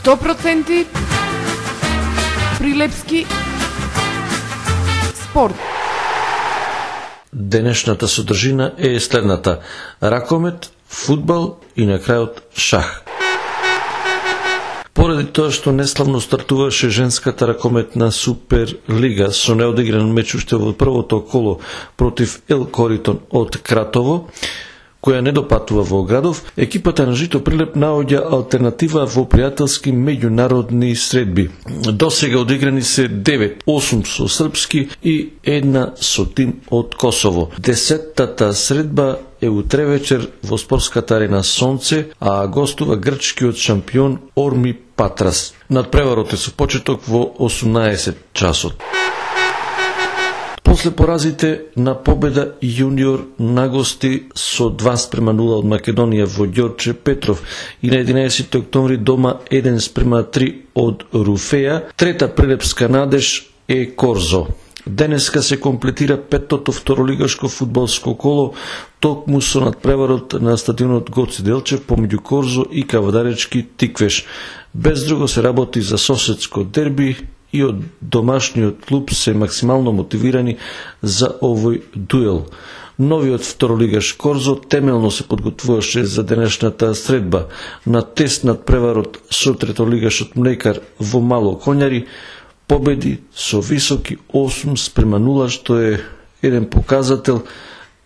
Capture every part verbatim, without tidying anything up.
сто проценти Прилепски спорт. Денешната содржина е следната: ракомет, фудбал и на крајот шах. Поради тоа што неславно стартуваше женската ракометна Суперлига со неодигран меч уште во првото коло против Ел Коритон од Кратово, која не допатува во градов, екипата на Жито Прилеп наоѓа алтернатива во пријателски меѓународни средби. До сега одиграни се девет, осум со српски и една со тим од Косово. Десеттата средба е утре вечер во спортската арена Сонце, а гостува грчкиот шампион Орми Патрас. Надпреварот е со почеток во осумнаесет часот. После поразите на победа јуниор на гости со два спрема нула од Македонија во Ѓорче Петров и на единаесети октомври дома еден спрема три од Руфеја, трета прилепска надеж е Корзо. Денеска се комплетира петтото второлигашко фудбалско коло токму со надпреварот на стадионот Гоце Делчев помеѓу Корзо и Кавадаречки Тиквеш. Без друго се работи за соседско дерби и од домашниот клуб се максимално мотивирани за овој дуел. Новиот второлигаш Корзо темелно се подготвуваше за денешната средба. На тест над преварот со третолигашот Млекар во Мало Коњари победи со високи осум спрема нула, што е еден показател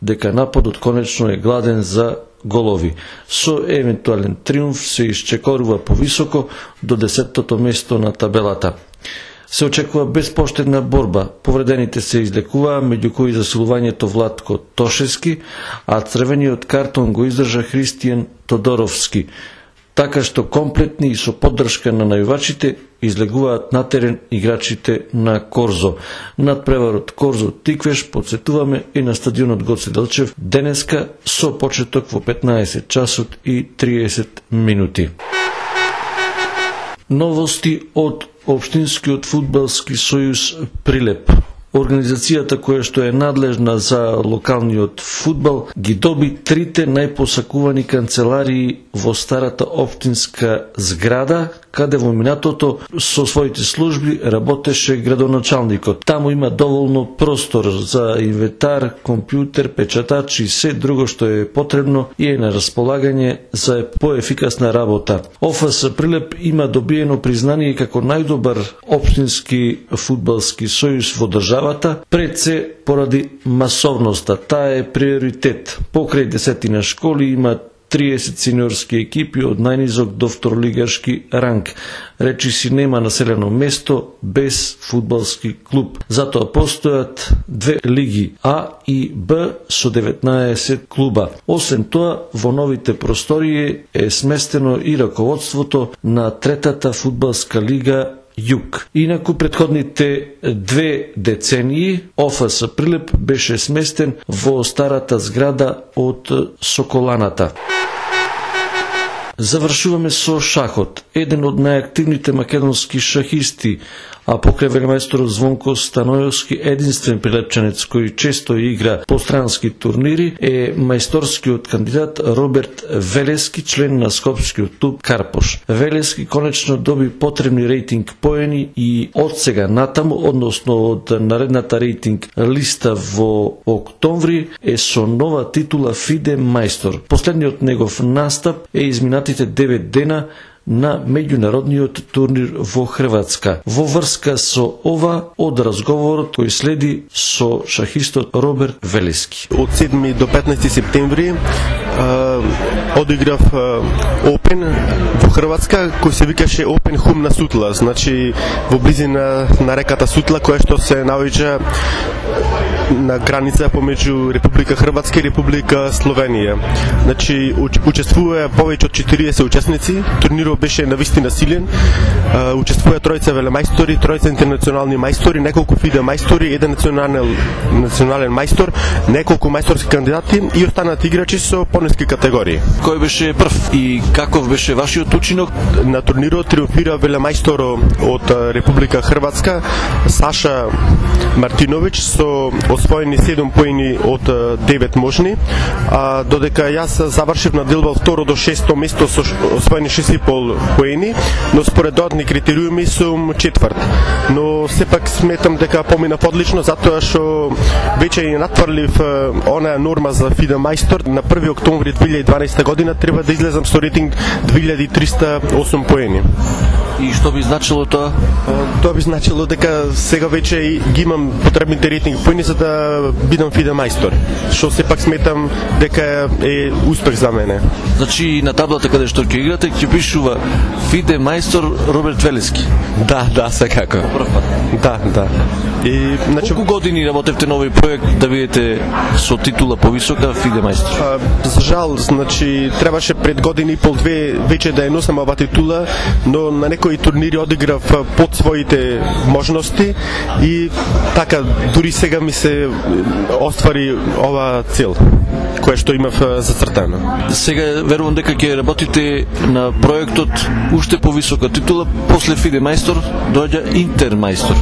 дека нападот конечно е гладен за голови. Со евентуален триумф се исчекорува повисоко до десеттото место на табелата. Се очекува безпоштедна борба. Повредените се излекуваа, меѓу кои засилувањето Владко Тошевски, а црвениот картон го издржа Христијан Тодоровски. Така што комплетни и со поддршка на најувачите излегуваат на терен играчите на Корзо. Надпреварот Корзо Тиквеш, подсетуваме, е на стадионот Гоце Делчев денеска со почеток во петнаесет часот и триесет минути. Новости од Општинскиот фудбалски сојуз Прилеп. Организацијата која што е надлежна за локалниот фудбал ги доби трите најпосакувани канцеларии во старата општинска зграда, каде во минатото со своите служби работеше градоначалникот. Таму има доволно простор за инвентар, компјутер, печатач и се друго што е потребно и е на располагање за поефикасна работа. ОФС Прилеп има добиено признание како најдобар општински фудбалски сојуз во државата, пред се поради масовноста. Таа е приоритет. Покрај десетина школи има триесет сениорски екипи од најнизок до второлигашки ранг. Речи си нема населено место без фудбалски клуб. Затоа постојат две лиги А и Б со деветнаесет клуба. Освен тоа, во новите простории е сместено и раководството на третата фудбалска лига Југ. Инаку претходните две децении ОФС Прилеп беше сместен во старата зграда од Соколаната. Завршуваме со шахот. Еден од најактивните македонски шахисти, а покрај велемајсторот Звонко Станојовски, единствен прилепчанец кој често игра по странски турнири, е мајсторскиот кандидат Роберт Велески, член на скопскиот клуб Карпош. Велески конечно доби потребни рейтинг поени и од сега натаму, односно од наредната рейтинг листа во октомври, е со нова титула ФИДЕ мајстор. Последниот негов настап е изминатите девет дена на меѓународниот турнир во Хрватска. Во врска со ова, од разговорот кој следи со шахистот Роберт Велески. Од седми до петнаесети септември а, одиграв Open во Хрватска, кој се викаше Open Hum на Сутла, значи во близина на реката Сутла, која што се наоѓа на граница помеѓу Република Хрватска и Република Словенија. Значи учествуваа повеќе од четириесет учесници. Турнирот беше навистина силен. Учествуваа тројца велемајстори, тројца интернационални мајстори, неколку ФИДЕ мајстори, еден национален национален мајстор, неколку мајсторски кандидати и останати играчи со понески категории категории. Кој беше прв и каков беше вашиот учинок? На турнирот триумфира велемајстор од Република Хрватска Саша Мартиновиќ со освоени седум поени од девет можни, а додека јас завршив на делба од второ до шесто место со освоени шест и пол поени, но според додатни критериуми сум четврт. Но сепак сметам дека поминав одлично затоа што веќе ја натврлив онаа норма за ФИДЕ мајстор. На први октомври две илјади и дванаесета година треба да излезам со рейтинг две илјади и триста и осум поени. И што би значило тоа? Тоа би значило дека сега веќе ги имам потребните рейтинг поени за да бидам ФИДЕ мајстор, што сепак сметам дека е успех за мене. Значи на таблата каде што ќе играте ќе пишува ФИДЕ мајстор Роберт Велески. Да, да, секако. Прв пат. Да, да. И значи колку години работевте на овој проект да бидете со титула повисока ФИДЕ мајстор? А, за жал, значи требаше пред години и пол две веќе да ја носам оваа титула, но на некои турнири одиграв под своите можности и така дури сега ми се оствари оваа цел која што имав зацртано. Сега верувам дека ќе работите на проектот уште повисока титула, после ФИДЕ мајстор доаѓа Интер мајстор.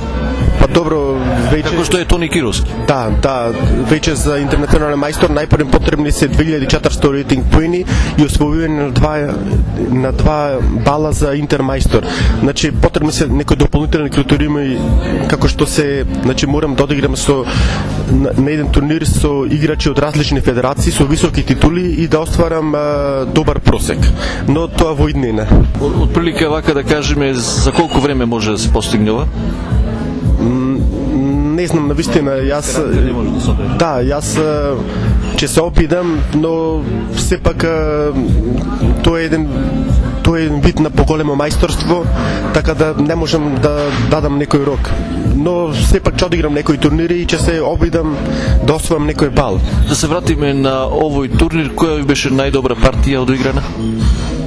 Па добро, веќе како што е Тони Кировски. Да, да, веќе за интернационален мајстор најпрво потребни се две илјади и четиристо рейтинг поени и освојување на два на два бала за Интер мајстор. Значи потребни се некои дополнителни критериуми како што се, значи морам да одиграм со на, на еден турнир со играчи од различни федерации со високи титули и да остварам а, добар просек. Но тоа во иднина. Од прилика вака да кажеме за колку време може да се постигне ова? Не знам на вистина, јас да, јас ќе се опидам, но сепак тоа е еден тоа е еден вид на поголемо мајсторство, така да не можам да дадам некој рок. Но сепак ќе одиграм некои турнири и ќе се обидам да освојам некој бал. Да се вратиме на овој турнир, која ви беше најдобра партија одиграна?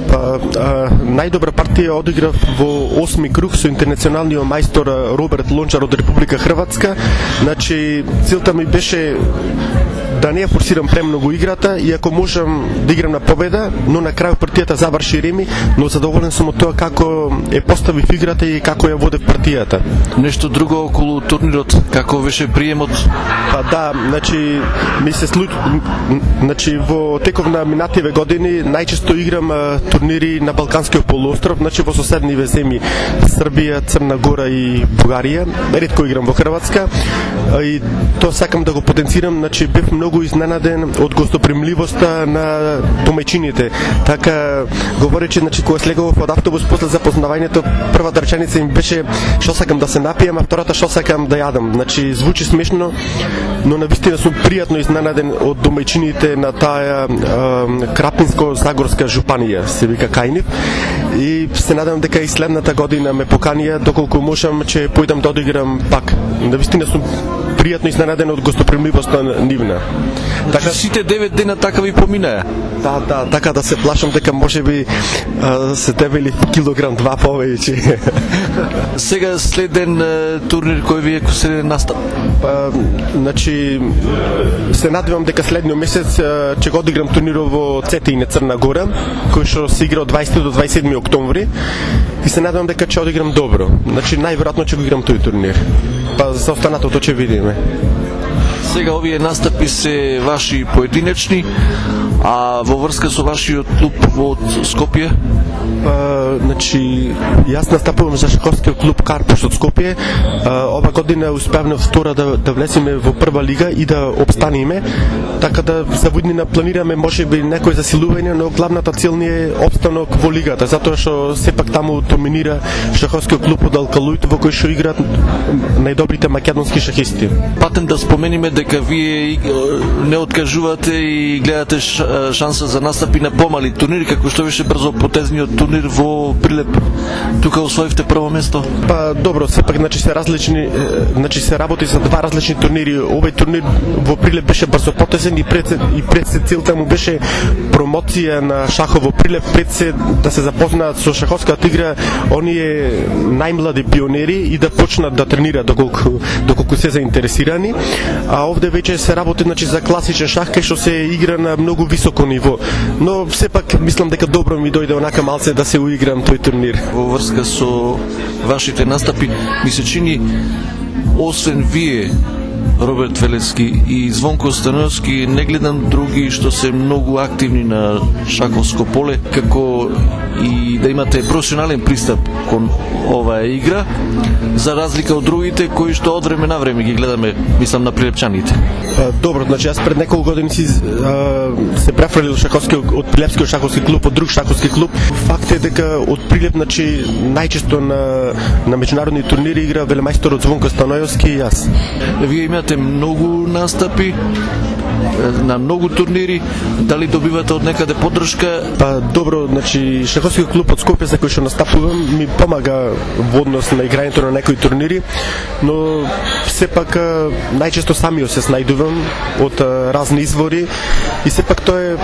Па, а, најдобра партија одиграв во осми круг со интернационалниот мајстор Роберт Лончар од Република Хрватска. Значи, целта ми беше да не ја форсирам премногу играта и ако можам да играм на победа, но на крај партијата заврши реми, но задоволен сум од тоа како е поставив играта и како ја водев партијата. Нешто друго околу турнирот, како беше приемот? Па да, значи ми се случи, значи во теков на минативе години најчесто играм а, турнири на Балканскиот полуостров, значи во соседниве земји Србија, Црна Гора и Бугарија. Ретко играм во Хрватска и тоа сакам да го потенцирам, значи бев многу изненаден од гостопримливоста на домаќините. Така говоречи, значи кога слегував од автобус после запознавањето, првата реченица им беше што сакам да се напијам, а втората што сакам да јадам. Значи звучи смешно, но навистина сум пријатно изненаден од домаќините на таа Крапинско-Загорска жупанија, се вика Кајнив. И се надевам дека и следната година ме поканија, доколку можам, ќе појдам да одиграм пак. Навистина сум пријатно изненаден од гостопримливоста нивна. Така сите девет дена така ви поминаа. Да, да, така да се плашам дека можеби а, се дебели килограм два повеќе. Сега следен турнир кој ви е следен настап? Па, значи се надевам дека следниот месец ќе го одиграм турнирот во Цетине, Црна Гора, кој што се игра од дваесети до дваесет и седми октомври и се надевам дека ќе одиграм добро. Значи најверојатно ќе го играм тој турнир. Па за останатото ќе видиме. Сега овие настапи се ваши поединечни, а во врска со вашиот клуб од Скопје? Па, значи, јас настапувам за шаховскиот клуб Карпуш од Скопје. А, ова година успеавме втора да, да влеземе во прва лига и да обстанеме. Така да за воднина планираме можеби некој засилување, но главната цел ни е обстанок во лигата, затоа што сепак таму доминира шаховскиот клуб од Алкалуит во кој што играат најдобрите македонски шахисти. Патем да спомениме дека вие не откажувате и гледате шанса за настапи на помали турнири, како што беше брзо потезниот турнир во Прилеп. Тука освоивте прво место. Па добро, сепак значи се различни, значи се работи за два различни турнири. Овој турнир во Прилеп беше брзо потезен и пред и пред се целта му беше промоција на шахов во Прилеп, пред се да се запознаат со шаховската игра оние најмлади пионери и да почнат да тренираат доколку доколку се заинтересирани. А овде веќе се работи значи за класичен шах кај што се игра на многу високо ниво. Но сепак мислам дека добро ми дојде онака малце да се уиграм тој турнир. Во врска со вашите настапи, ми се чини, освен вие, Роберт Велески и Звонко Становски, не гледам други што се многу активни на шаковско поле, како и да имате професионален пристап кон оваа игра, за разлика од другите кои што од време на време ги гледаме, мислам на прилепчаните. Добро, значи јас пред неколку години си а, се префрлил шаковски од Прилепскиот шаковски клуб, од друг шаковски клуб. Факт е дека од Прилеп, значи најчесто на на меѓународни турнири игра велемајсторот Звонко Становски и јас. Вие имате многу настапи на многу турнири, дали добивате од некаде поддршка? Па добро, значи шаковскиот клуб од Скопје за кој што настапувам ми помага во однос на играњето на некои турнири, но сепак најчесто самиот се снајдувам од разни извори и сепак тоа е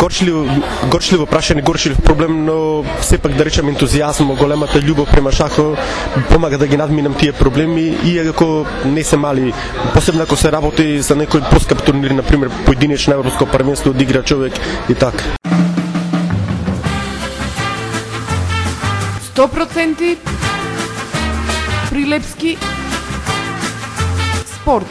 горчливо горчливо прашање, горчлив проблем, но сепак да речам ентузијазм, големата љубов према шахо помага да ги надминам тие проблеми, иако не се мали, посебно ако се работи за некој поскап турнир, на пример поединечно европско првенство да игра човек и така. сто проценти Прилепски спорт.